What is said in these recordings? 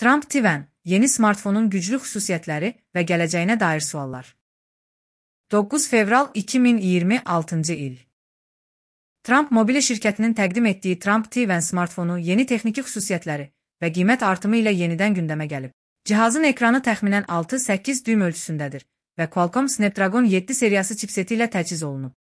Trump TV, yeni smartfonun güclü xüsusiyyətləri və gələcəyinə dair suallar. 9 fevral 2026 il. Trump Mobile şirkətinin təqdim etdiyi Trump TV smartfonu yeni texniki xüsusiyyətləri və qiymət artımı ilə yenidən gündəmə gəlib. Cihazın ekranı təxminən 6-8 düym ölçüsündədir və Qualcomm Snapdragon 7 seriyası chipseti ilə təchiz olunub.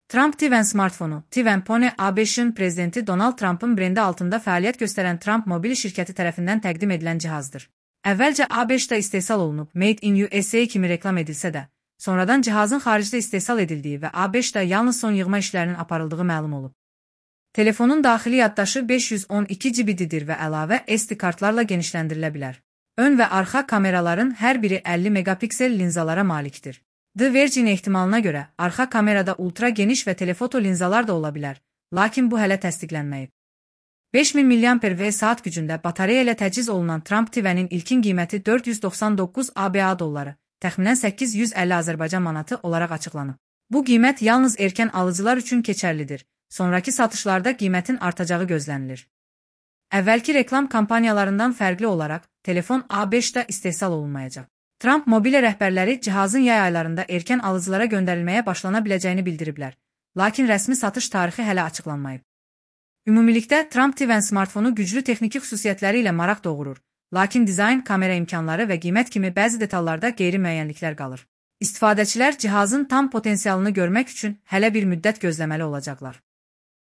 Trump TV smartfonu, TV Pony ABŞ-ın prezidenti Donald Trump'ın brendi altında fəaliyyət göstərən Trump Mobile şirkəti tərəfindən təqdim edilən cihazdır. Əvvəlcə ABŞ-da istehsal olunub, Made in USA kimi reklam edilsə də, sonradan cihazın xaricdə istehsal edildiyi və ABŞ-da yalnız son yığma işlərinin aparıldığı məlum olub. Telefonun daxili yaddaşı 512 GB-dir və əlavə SD kartlarla genişləndirilə bilər. Ön və arxa kameraların hər biri 50 megapiksel linzalara malikdir. The Vergin ehtimalına görə, arxa kamerada ultra geniş və telefoto linzalar da ola bilər, lakin bu hələ təsdiqlənməyib. 5000 mAh gücündə batareya ilə təchiz olunan Trump TV-nin ilkin qiyməti 499 ABA dolları, təxminən 850 Azərbaycan manatı olaraq açıqlanıb. Bu qiymət yalnız erkən alıcılar üçün keçərlidir, sonraki satışlarda qiymətin artacağı gözlənilir. Əvvəlki reklam kampaniyalarından fərqli olaraq, telefon ABŞ-da istehsal olunmayacaq. Trump Mobile rəhbərləri cihazın yay aylarında erkən alıcılara göndərilməyə başlana biləcəyini bildiriblər, lakin rəsmi satış tarixi hələ açıqlanmayıb. Ümumilikdə, Trump TV smartfonu güclü texniki xüsusiyyətləri ilə maraq doğurur, lakin dizayn, kamera imkanları və qiymət kimi bəzi detallarda qeyri-müəyyənliklər qalır. İstifadəçilər cihazın tam potensialını görmək üçün hələ bir müddət gözləməli olacaqlar.